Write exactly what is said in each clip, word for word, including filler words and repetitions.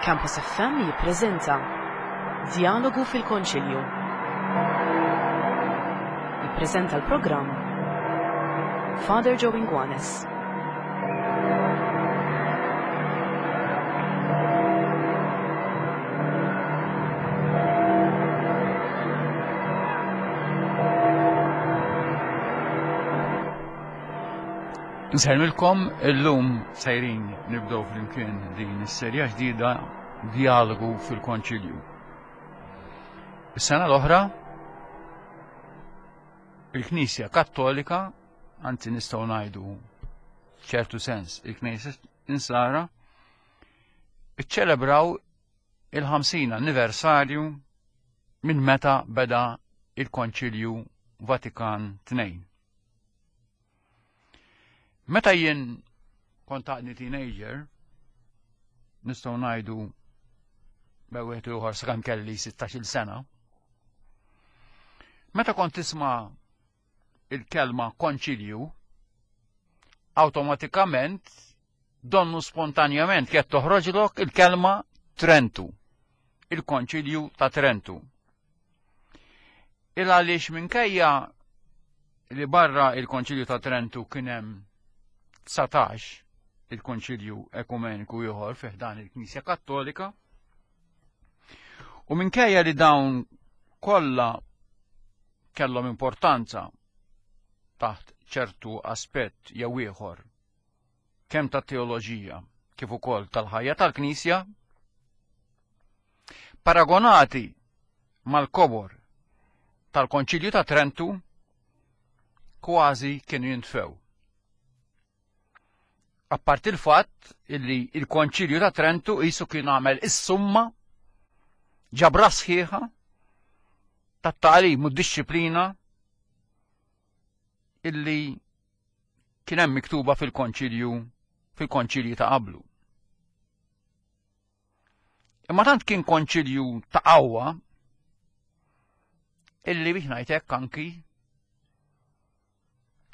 Campus F M jippreżenta Djalogu fil-Konċilju. Jippreżenta l-programm Father Joe Inguanes. Nsellmilkom, illum sejrin nibdew flimkien din is-serja ġdida Djalogu fil-Konċilju. Is-sena l-oħra il-Knisja Kattolika, anzi nistgħu ngħidu f'ċertu sens il-Knisja Insara, iċċelebraw il-ħamsin anniversarju minn meta beda il-Konċilju Vatikan tnejn. Meta jien kont għadni teenager, nistgħu ngħidu bejn wieħed u ieħor sakemm kelli sittax-il sena, meta kont tisma' il-kelma konċilju, awtomatikament donnu spontanjament kienet toħroġlok il-kelma Trentu, il-Konċilju ta' Trentu. Il għaliex minkejja li barra il-Konċilju ta' Trentu kien hemm dsatax il-Konċilju Ekumeniku ieħor fih dan il-Knisja Kattolika, u minkejja li dawn kollha kellhom importanza taħt ċertu aspett jew ieħor kemm tat-teoloġija kif ukoll tal-ħajja tal-Knisja, paragonati mal-kobor tal-Konċilju ta' Trentu kważi kienu jintfew. Apparti il-fatt illi il-Konċilju ta' Trentu qisu kien għamel is-summa ġabra sħiħa tat-tagħlim u d-disċiplina illi kien hemm miktuba fil-Konċilju, fil-Konċilji ta' qablu. Imma tant kien konċilju ta' qawwa illi biex ngħid hekk anki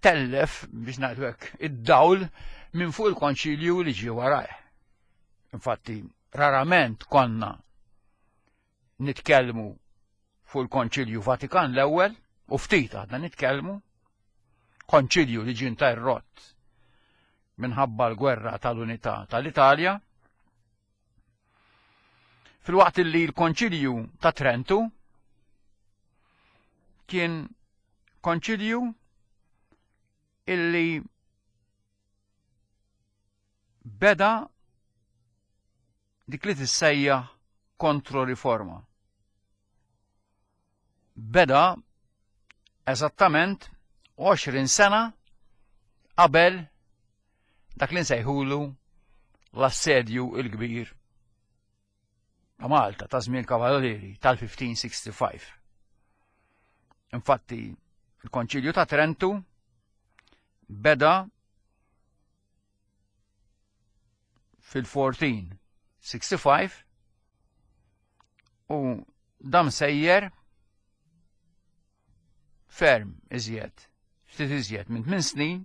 tellef biex ngħidu hekk id-dawl minn fuq il-konċilju li ġie warajh. Infatti, rarament konna nitkellmu fuq il-Konċilju Vatikan l-ewwel, u ftit għadna nitkellmu, konċilju li ġie interrott minħabba l-gwerra tal-unità tal-Italja, filwaqt li l-Konċilju ta' Trentu kien konċilju illi beda dik li tissejjaħ kontroriforma. Beda eżattament għoxrin sena qabel dak li nsejħulu l-assedju il-kbir ta' Malta ta' żmien Kavallieri tal-fifteen sixty-five. Infatti, il-Konċilju ta' Trentu beda fil-fourteen sixty-five u dam sejjer ferm iżjed, ftit iżjed minn tmien snin,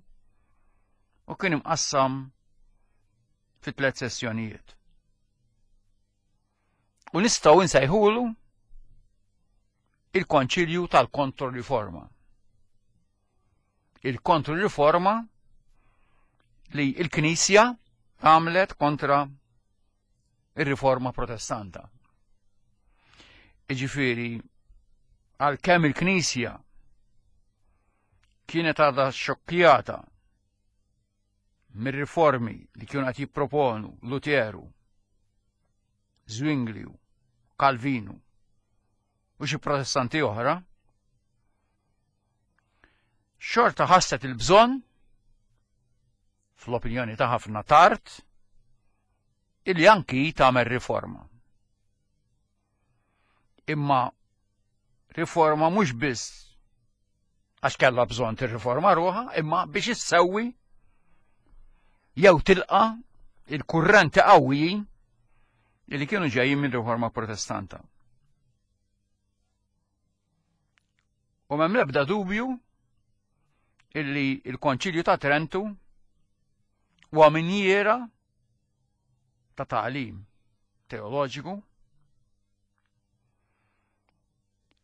u kien imqassam fi tliet sessjonijiet. U nistgħu nsejħulu il-Konċilju tal-Kontroriforma. Il-Kontroriforma li l-Knisja għamlet kontra ir-Riforma Protestanta. Jiġifieri, għalkemm il-Knisja kienet għadha xokjata mir-riformi li kienu qed jipproponu Luteru, Zwingliu, Calvinu u xi protestanti oħra, xorta ħasset il-bżonn, fl-opinjoni ta' ħafna tard, illi anki tagħmel riforma. Imma riforma mhux biss għax kellha bżonn tirriforma ruħha, imma biex issewwi jew tilqa il-kurrenti qawwijin li kienu ġejjin minn riforma protestanta. U m'hemm l-ebda dubju illi il-Konċilju ta' Trentu huwa minjiera ta' tagħlim, teoloġiku,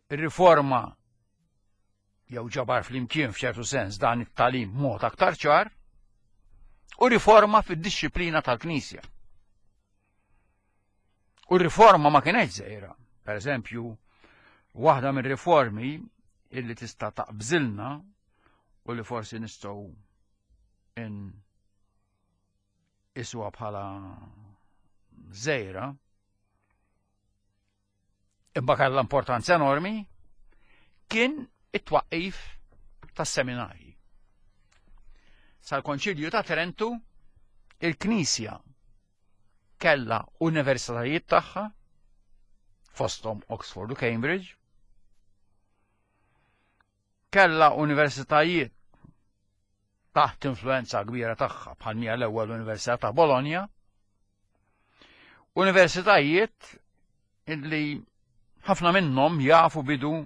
ir-riforma jew ġabar flimkien f'ċertu sens dan it-tagħlim mod aktar ċar, u riforma fid-dixxiplina tal-Knisja. U riforma ma kienet żgħira. Per eżempju, waħda mir-riformi illi tista' taqbżilna u li forsi nistgħu in iswa bħala żgħira, imma kellha importanza enormi, kien it-twaqqif tas-seminarji. Sal-Konċilju ta' Trentu, il-Knisja kellha universitajiet tagħha, fosthom Oxford u Cambridge, kellha universitajiet taħt influenza kbira tagħha bħal mija l-ewwel Università ta' Bologna, universitajiet illi ħafna minnhom jafu bidu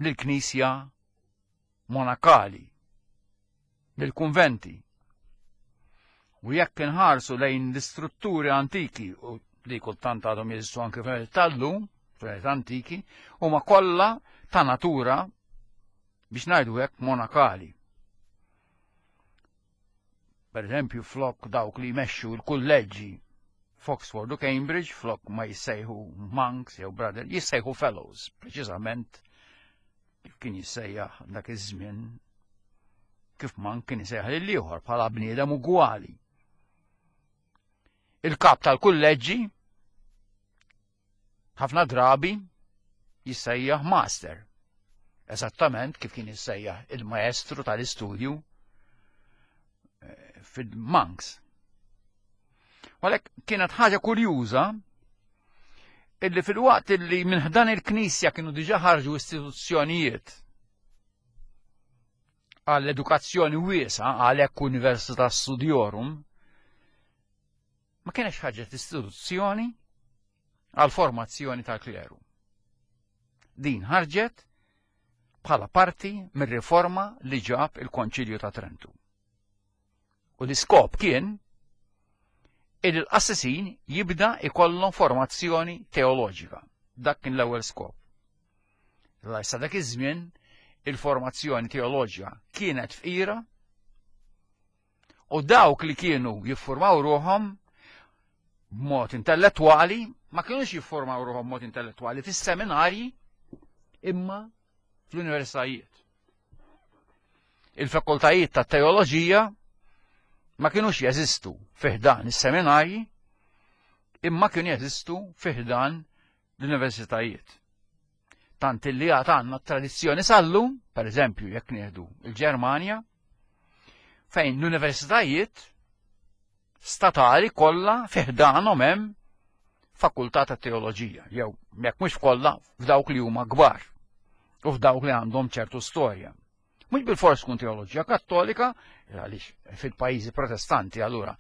lill-Knisja monakali, lill-kunventi. U jekk inħarsu lejn l-istrutturi antiki u li kultant għadhom jeżistu anke tal-lum, fl antiki, huma kollha ta' natura biex ngħidu hekk monakali. Per eżempju, flok dawk li jmexxu l-kulleġġi f'Oxford u Cambridge, flok ma jissejħu monks jew brother, jissejħu fellows, preċiżament kif kien jissejjaħ dak iż-żmien kif monk kien jissejjaħ lil ieħor bħala bniedem ugwali. Il-kap tal-kulleġġi ħafna drabi jissejjaħ master, eżattament kif kien jissejjaħ il-maestru tal-istudju fil-monks. Għalhekk kienet ħaġa kurjuża illi fil-waqt illi minn ħdan il-Knisja kienu diġà ħarġu istituzzjonijiet għall-edukazzjoni wiesgħa, għalhekk Università Studiorum, ma kienx ħarġet istituzzjoni għall-formazzjoni tal-kleru. Din ħarġet bħala parti mir-riforma li ġab il-Konċilju ta' Trentu. U l-iskop kien il l-qassisin jibda ikollhom formazzjoni teoloġika. Dak kien l-ewwel skop. Issa dak iż-żmien il-formazzjoni teoloġika kienet fqira u dawk li kienu jiffurmaw ruħhom b'mod intellettwali ma kienux jiffurmaw ruħhom b'mod intellettwali fis-seminarji imma fl-universitajiet. Il-fakultajiet ta' teoloġija ma kienux jeżistu fi ħdan is-seminarji imma kienu jeżistu fi ħdan l-universitajiet. Tant illi għad għandna tradizzjoni sal-lum, per eżempju, jekk nieħdu il-Ġermanja, fejn l-universitajiet statali kollha fi ħdanhom hemm fakultà ta' teoloġija, jew jekk mhux kollha f'dawk li huma kbar u f'dawk li għandhom ċertu storja. Mhux bilfors tkun teoloġija kattolika, għaliex fil-pajjiżi protestanti allura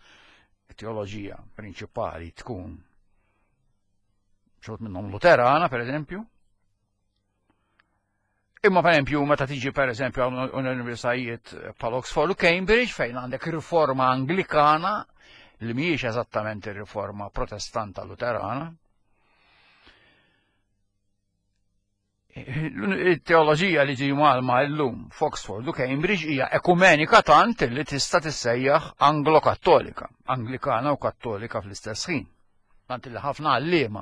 teoloġija prinċipali tkun xi wħud minnhom Luterana, per eżempju. Imma per eżempju meta tiġi per eżempju għal universitajiet bħal Oxford u Cambridge fejn għandek riforma Anglikana li mhijiex eżattament ir-riforma protestanta Luterana. Il-teoloġija li ġi mgħallma llum f'Oxford u Cambridge hija ekumenika tant li tista' tissejjaħ Anglo-Kattolika, Anglikana u Kattolika fl-istess ħin. Tant li ħafna għalliema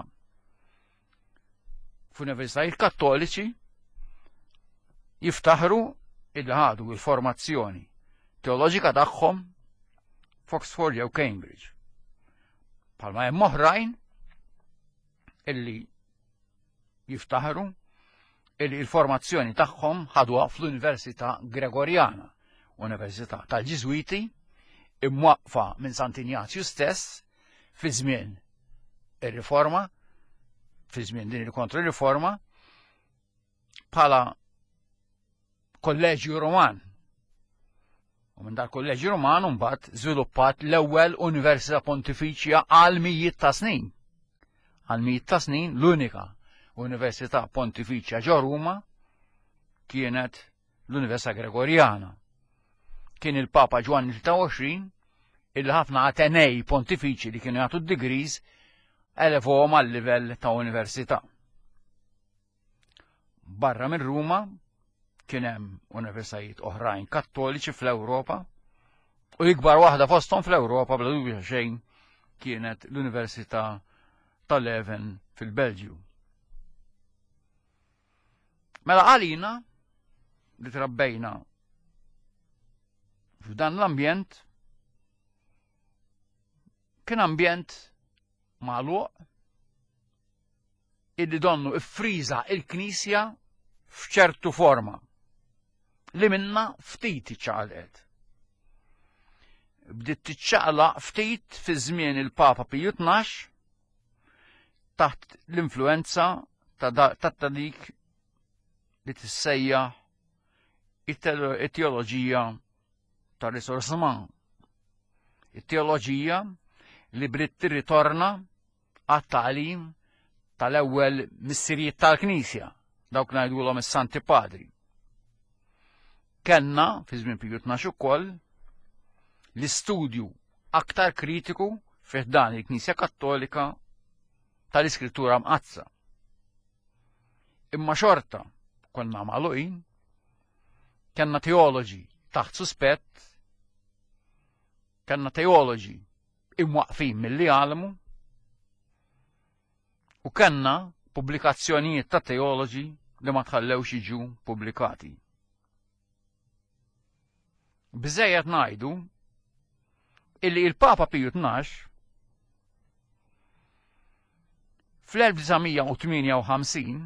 f'universitajiet kattoliċi jiftaħru illi ħadu l-formazzjoni teoloġika tagħhom f'Oxford jew Cambridge. Bħalma hemm oħrajn illi jiftaħru illi l-formazzjoni tagħhom ħaduha fl-Università Gregoriana, Università tal-Ġiżwiti, imwaqfa minn Sant'Injazju stess fi żmien ir-riforma, fi żmien din il-kontro-riforma, bħala Kolleġju Roman. U minn dal-Kolleġju Roman mbagħad żviluppat l-ewwel Università Pontifiċja għal mijiet ta' snin. Għal mijiet ta' snin l-unika Università Pontifiċja ġo Ruma kienet l-Università Gregoriana. Kien il-Papa Ġwanni tlieta u għoxrin illi ħafna Atenej pontifiċi li kienu jagħtu d-degrees elevhom għal livell ta' università. Barra minn Ruma kien hemm universitajiet oħrajn kattoliċi fl-Ewropa u ikbar waħda fosthom fl-Ewropa bla dubju xejn kienet l-Università ta' Leuven fil-Belġju. Mela għalina li trabbejna f'dan l-ambjent kien ambjent magħluq illi donnu iffriża il-Knisja f'ċertu forma li minna ftit iċċaqalqet. Bdiet tiċċaqlaq ftit fi żmien il-Papa Piju tnax taħt l-influenza ta' dik li tissejjaħ it-teoloġija ta' Risorgiment. It-teoloġija li bdiet tirritorna għat-tagħlim tal-ewwel missirijiet tal-Knisja, dawk ngħidulhom is-Santi Padri. Kellna fi żmien Piju tnax ukoll l-istudju aktar kritiku fih dan il-Knisja Kattolika tal-Iskrittura Mqaddsa. Imma xorta konna magħluqin, kellna teoloġi taħt suspett, kellna teoloġi imwaqfin milli għalmu, u kellna pubblikazzjonijiet ta' teoloġi li ma tħallewx jiġu pubblikati. Biżejjed ngħidu illi il-Papa Piju tnax fl-elf disa' mija u tmienja u ħamsin,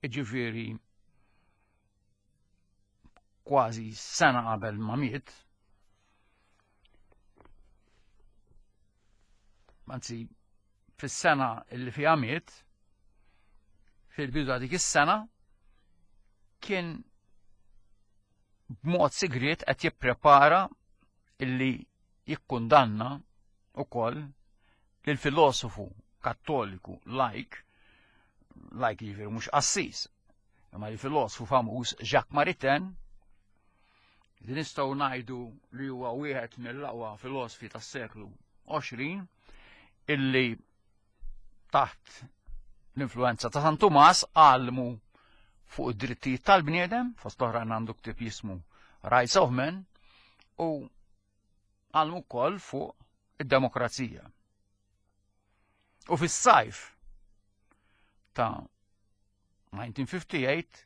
jiġifieri kważi sena qabel ma miet, anzi fis-sena illi fiha miet, fil-bidu ta' dik is-sena, kien b'mod sigriet qed jipprepara illi jikkundanna ukoll lil filosofu kattoliku lajk, lajk jiġifieri mhux qassis, imma li filosofu famuż Jacques Maritain, li nistgħu ngħidu li huwa wieħed mill-aqwa filosofi tas-seklu għoxrin, illi taħt l-influenza ta' San Tumas għallmu fuq id-drittijiet tal-bniedem, fost oħrajn għandu ktieb jismu Rights of Man, u għallmu wkoll fuq id-demokrazija. U fis-sajf ta' nineteen fifty-eight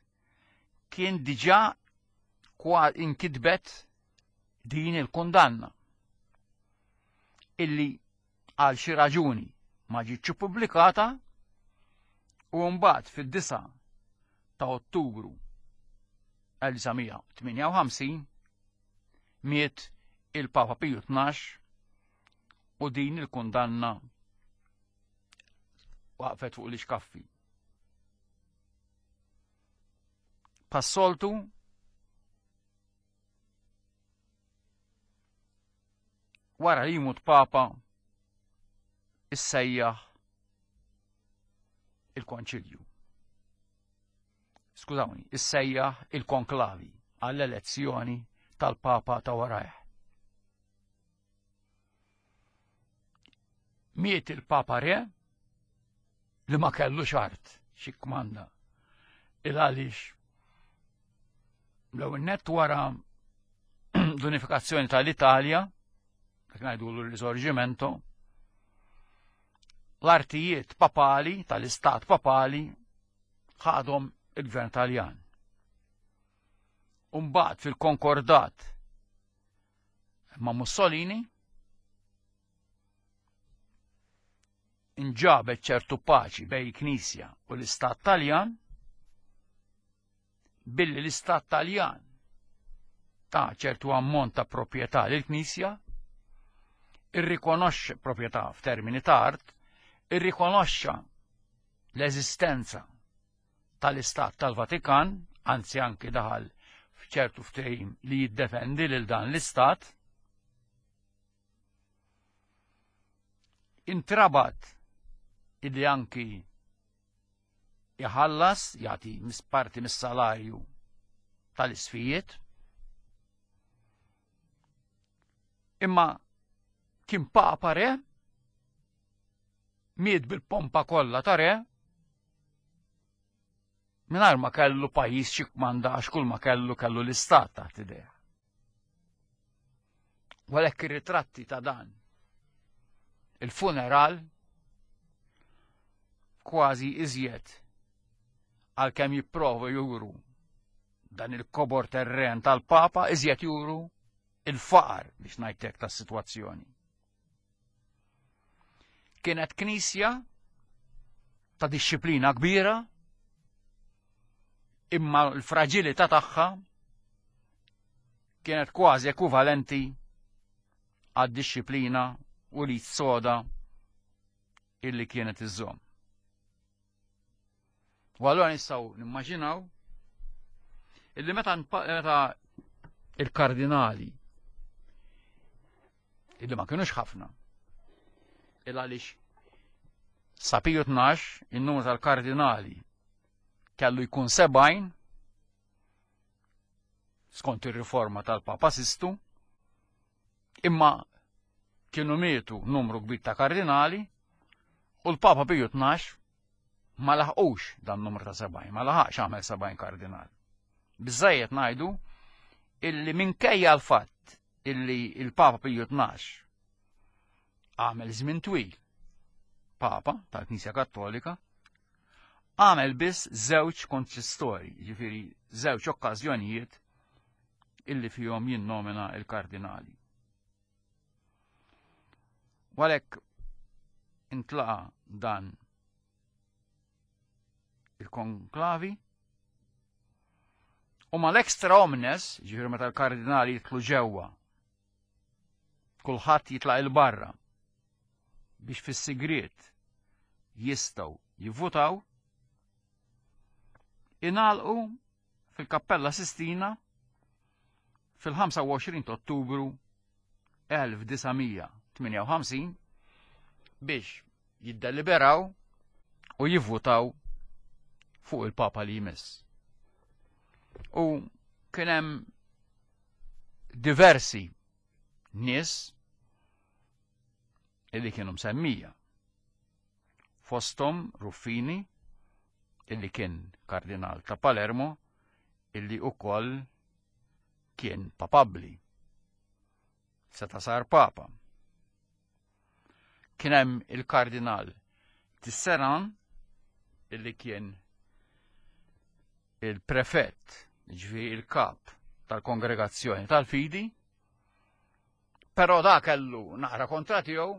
kien diġà kwa inkitbet din il-kundanna illi għal xi raġuni ma ġietx ippubblikata, u mbagħad fid-disa ta' Ottubru elf disa' mija u tmienja u ħamsin miet il-Papa Piju tnax u din il-kundanna waqfet fuq l-ixkaffi. Passoltu wara li jmut Papa issejjaħ il-Konċilju. Skużawni, issejjaħ il-konklavi għall-elezzjoni tal-Papa ta' warajh. Miet il-Papa Re li ma kellux art xi kmanda. Il għaliex l-ewwel nett wara l-unifikazzjoni tal-Italja, dak ngħidulu l-Risorgimento, l-artijiet papali tal-istat papali ħadhom il-gvern Taljan. U mbagħad fil-konkordat ma' Mussolini inġabet ċertu paċi bejn il-Knisja u l-Istat Taljan, billi l-Istat Taljan ta' ċertu ammont ta' proprjetà lill-Knisja, irrikonoxxa proprjetà f'termini ta' art, irrikonoxxa l-eżistenza tal-Istat tal-Vatikan, anzi anki daħal f'ċertu ftehim li jiddefendi lil dan l-Istat, intrabat illi anki jħallas, jagħti parti mis-salarju tal-isfijiet, Imma kien papa re, miet bil-pompa kollha ta' re, mingħajr ma kellu pajjiż xi kmanda għax kull ma kellu kellu l-istat taħt idejh. U għalhekk ir-ritratti ta' dan il-funeral kważi iżjed għalkemm jipprovu juru dan il-kobor terren tal-Papa, iżjed juru il-faqar biex ngħidlek tas-sitwazzjoni. Kienet knisja ta' dixxiplina kbira, imma l-fraġilità tagħha kienet kważi ekwivalenti għad-dixxiplina u li soda illi kienet iżżomm. U allura nistgħu nimmaġinaw illi meta meta il-kardinali illi ma kienux ħafna il għaliex sa Piju tnax in-numru tal-kardinali kellu jkun sebgħin skont ir-riforma tal-Papa Sistu, imma kienu mietu numru kbir ta' kardinali u l-Papa Piju tnax ma laħqux dan numru ta' sebgħin, ma laħaqx għamel sebgħin kardinal. Biżżejjed ngħidu illi minkejja l-fatt illi il-Papa Piju tnax għamel żmien twil Papa tal-Knisja Kattolika, għamel biss żewġ konċistori, ġifieri żewġ okkażjonijiet illi fihom jinnomina il-kardinali. U għalhekk intlaqa dan il-konklavi u mal-extra omnes, ġifieri meta l-kardinali jitlu ġewwa, kulħadd jitlaq il-barra biex fis-sigriet jistgħu jivvutaw, ingħalqu fil-Kappella Sistina fil-ħamsa u għoxrin ta' Ottubru elf disa' mija tmienja u ħamsin biex jiddeliberaw u jivvutaw fuq il-Papa li jmiss. U kien hemm diversi nies illi kienu msemmija. Fosthom Ruffini, illi kien kardinal ta' Palermo, illi ukoll kien papabbli. Seta' sar papa. Kien hemm il-kardinal Tisserant, illi kien il-prefett, ġifieri il-kap tal-kongregazzjoni tal-fidi, però da kellu naqra kontra tiegħu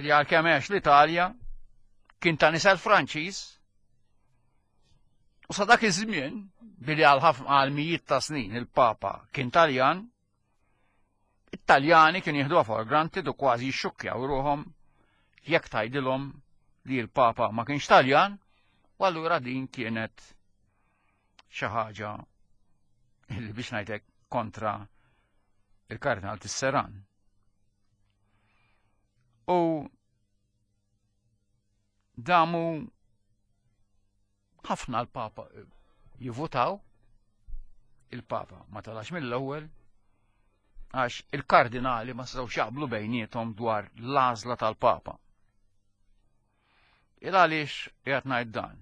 li għalkemm għex l-Italja kien ta' nisel Franċiż, u sa dak iż-żmien billi għal ħafna għal mijiet ta' snin il-Papa kien Taljan, it-Taljani kienu jieħduha for granted u kważi jixxukkjaw ruħhom jekk tgħidilhom li l-Papa ma kienx Taljan, u allura din kienet xi ħaġa li biex ngħidlek kontra il-Kardinal Tisserant. U damu ħafna l-Papa jivutaw, il-Papa ma talax mill-ewwel għax il-kardinali ma setgħux jaqblu bejniethom dwar l-għażla tal-Papa. Il għaliex qiegħed ngħid dan?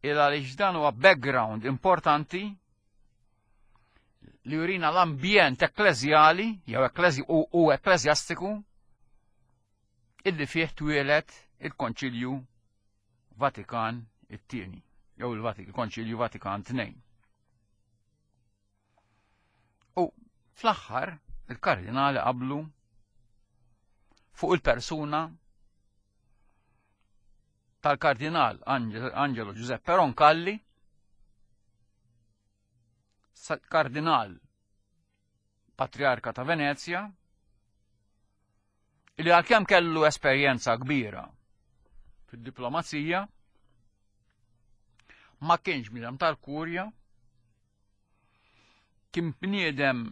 Il għaliex dan huwa background importanti li jurina l-ambjent ekkleżjali jew ekklezi-, u, u ekkleżjastiku illi fih twieled il-Konċilju Vatikan it-tieni, jew il-Vatik-, il-Konċilju Vatikan tnejn. U fl-aħħar il-kardinali qablu fuq il-persuna tal-kardinal Ange-, Angelo Giuseppe Roncalli, sa-, kardinal patriarka ta' Venezia, li għalkemm kellu esperjenza kbira fid-diplomazija, ma kienx bniedem tal-kurja, kien bniedem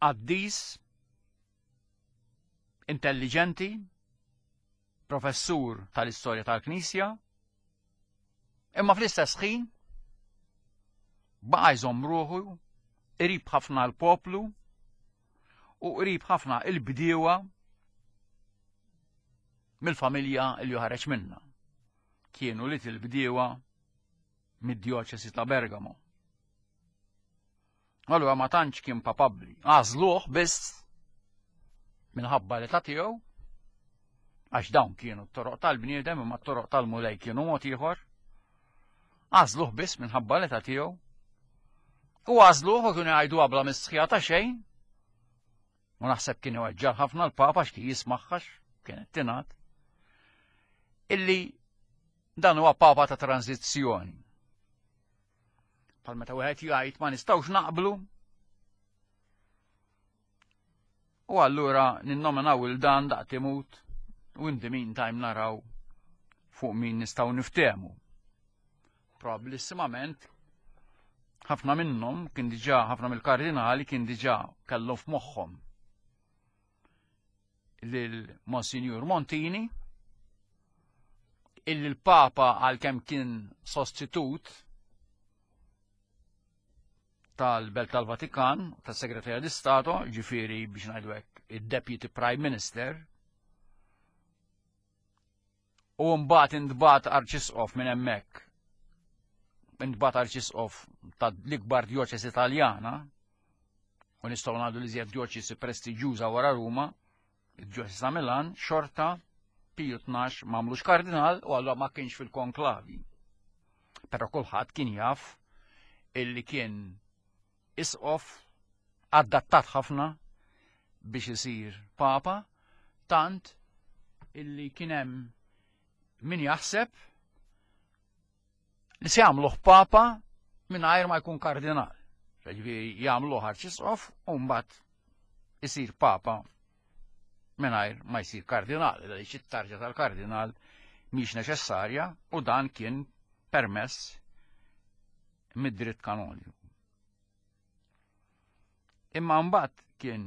qaddis, intelligenti, professur tal-istorja tal-Knisja, imma fl-istess ħin baqa' jżomm ruħu qrib ħafna l-poplu, u qrib ħafna il-bdiewa mill-familja li ħareġ minna. Kienu li il-bdiewa mid-djoċesi ta' Bergamo. Allura ma tantx kien papabbli. Għażluh biss minħabba li ta' tiegħu, għax dawn kienu t-toroq tal-bniedem imma t-toroq tal-Mulej kienu mod ieħor. Għażluh biss minħabba li ta' tiegħu. U għażluh u kienu jgħidu bla mistħija ta' xejn. U naħseb kien iweġġar ħafna l-Papa x'kien jismaħħax kienet tingħad illi dan huwa Papa ta' tranzizzjoni. Bħal meta wieħed jgħid ma nistgħux naqblu u allura ninnominaw il dan daqt imut u in the meantime naraw fuq min nistgħu niftehmu. Probabilissimament ħafna minnhom kien diġà, ħafna mill-kardinali kien diġà kellhom f'moħħhom lil Monsignor Montini, illi l-Papa għalkemm kien sostitut tal-Belt tal-Vatikan, tas-Segretarja di Stato, ġifieri biex ngħidu hekk id-Deputy Prime Minister, u mbagħad intbagħat arċisqof minn hemmhekk, intbagħat arċisqof tal-ikbar djoċesi Taljana, u nistgħu ngħidu li żjed djoċesi prestiġjuża wara Ruma, id-djoċesi ta' Milan, xorta Piju tnax m'għamlux kardinal u allura ma kienx fil-konklavi. Però kulħadd kien jaf illi kien isqof adattat ħafna biex isir papa, tant illi kien hemm min jaħseb li se jagħmluh papa mingħajr ma jkun kardinal. Ġifieri jagħmluh arċisqof u mbagħad isir papa mingħajr ma jsir kardinal, għaliex it-tarġa tal-kardinal mhix neċessarja u dan kien permess mid-dritt kanoniku. Imma mbagħad kien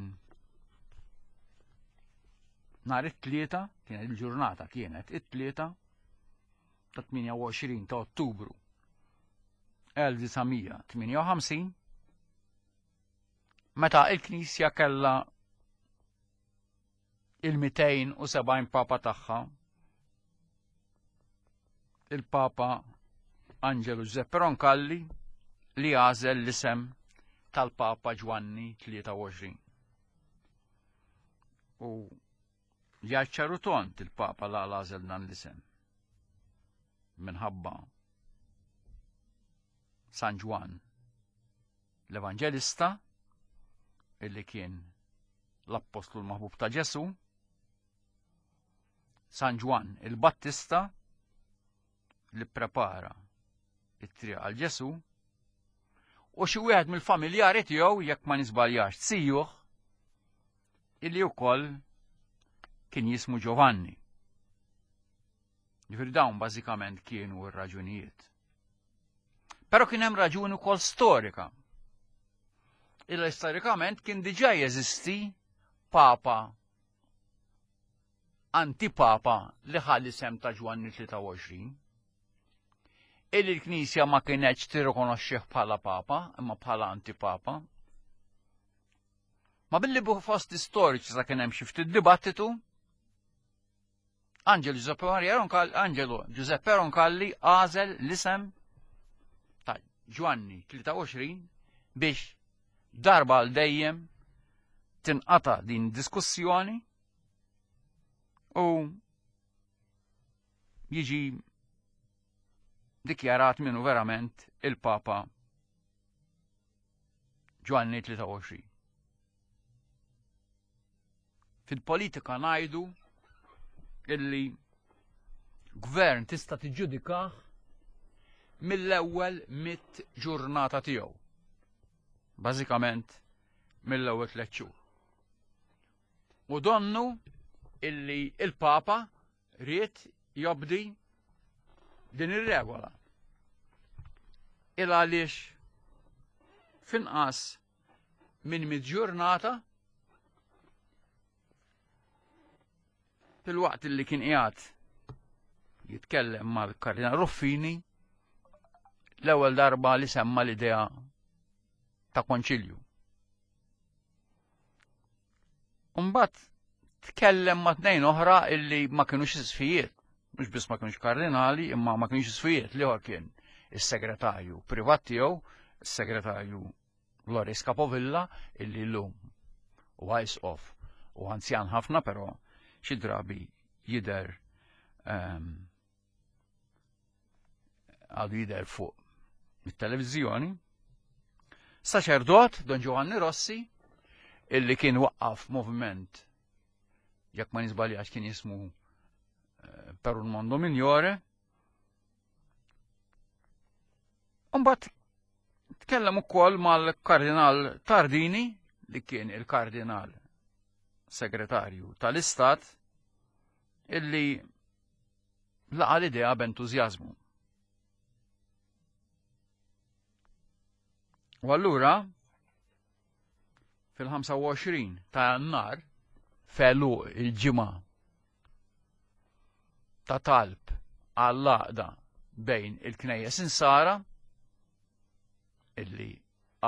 nhar it-tlieta, kienet il-ġurnata kienet it-tlieta ta' tmienja u għoxrin ta' Ottubru elf disa' mija tmienja u ħamsin, meta il-Knisja kellha il-mitejn u sebgħin papa tagħha, il-Papa Angelo Giuseppe Roncalli, li għażel l-isem tal-Papa Ġwanni tlieta u għoxrin. U jgħid tont il-Papa la għażel dan l-isem minħabba San Ġwann l-Evanġelista, illi kien l-Appostlu l-Maħbub ta' Ġesu, San Ġwann il-Battista li prepara it-triq għal Ġesu, u xi wieħed mill-familjari tiegħu, jekk ma nisbaljax, sijuh, illi wkoll kien jismu Giovanni. Ġifieri dawn bażikament kienu r-raġunijiet. Però kien hemm raġuni wkoll storika. Illa storikament kien diġà jeżisti papa antipapa li ħalli sem ta' Ġwanni tlieta u għoxrin. Illi l-Knisja ma kienetx tirrikonoxxih bħala papa, imma bħala antipapa. Ma billi bu fost istoriċi sa kien hemm xi ftit dibattitu, Angelo Giuseppe Maria Roncalli, Angelo Giuseppe Roncalli għażel l-isem ta' Ġwanni tlieta u għoxrin biex darba għal dejjem tinqata' din diskussjoni u jiġi dikjarat minnu verament il-Papa Ġwanni tlieta u għoxrin. Fil-politika ngħidu illi gvern tista' tiġġudikah mill-ewwel mitt ġurnata tiegħu. Bażikament mill-ewwel tliet xhur. U donnu illi il-Papa ried jobdi din ir-regola. Il għaliex finqas minn mitt ġurnata fil-waqt illi kien qiegħed jitkellem mal-Kardinal Ruffini l-ewwel darba li semma l-idea ta' konċilju. Mbagħad tkellem ma' tnejn oħra illi ma kinux isqfijiet, mhux biss ma kinux kardinali, imma ma kinux isqfijiet. L-ieħor kien is-segretarju privat tiegħu, is-segretarju Loris Capovilla, illi llum huwa isqof u anzjan ħafna, però xi drabi jidher ehm, għadu jidher fuq mit-televiżjoni. Saċerdot Don Giovanni Rossi, illi kien waqqaf moviment, jekk ma niżbaljax kien jismu eh, Per un mondo migliore. Mbagħad tkellem ukoll mal-Kardinal Tardini, li kien il-Kardinal Segretarju tal-Istat, illi laqa l-idea b'entużjażmu. U allura fil-ħamsa u għoxrin ta' Jannar, felu il-ġimgħa ta' talb għall-għaqda bejn il-knejjes insara, illi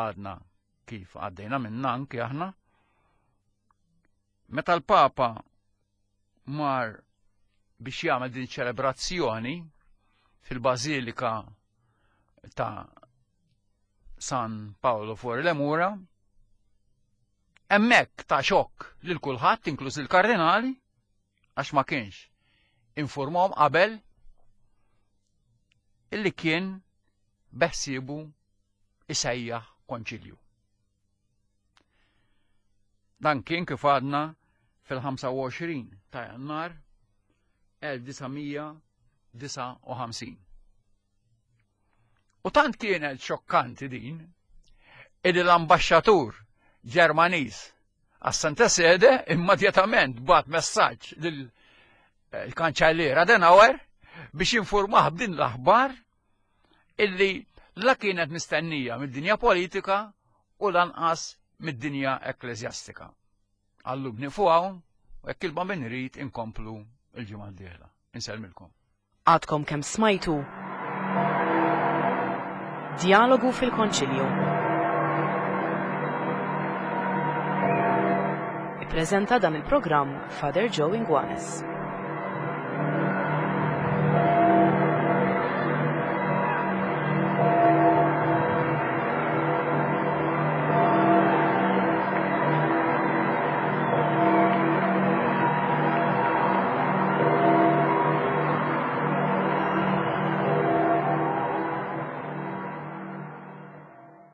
għadna kif għaddejna minna anki aħna, meta l-Papa mar biex jagħmel din ċelebrazzjoni fil-Bażilika ta' San Paolo fuori le Mura, hemmhekk ta' xokk lil kulħadd, inkluż il-kardinali, għax ma kienx infurmhom qabel illi kien beħsiebu isejjaħ konċilju. Dan kien kif għadna fil-ħamsa u għoxrin ta' Jannar elf disa' mija disa' u ħamsin. U tant kienet xokkanti din illi l-ambaxxatur Ġermaniż għas-Santa Sede immedjatament bat messaġġ lil-kanċellier Adenauer biex jinformah b'din l-aħbar illi la kienet mistennija mid-dinja politika u lanqas mid-dinja ekklesjastika. Għallu bnifu hawn u jekk il-Bambin irid inkomplu il-ġimgħa d-dieħla. Insellmilkom. Għadkom kemm smajtu Dialogu fil-Konċilju. Ippreżenta dan il-programm Father Joe Inguanes.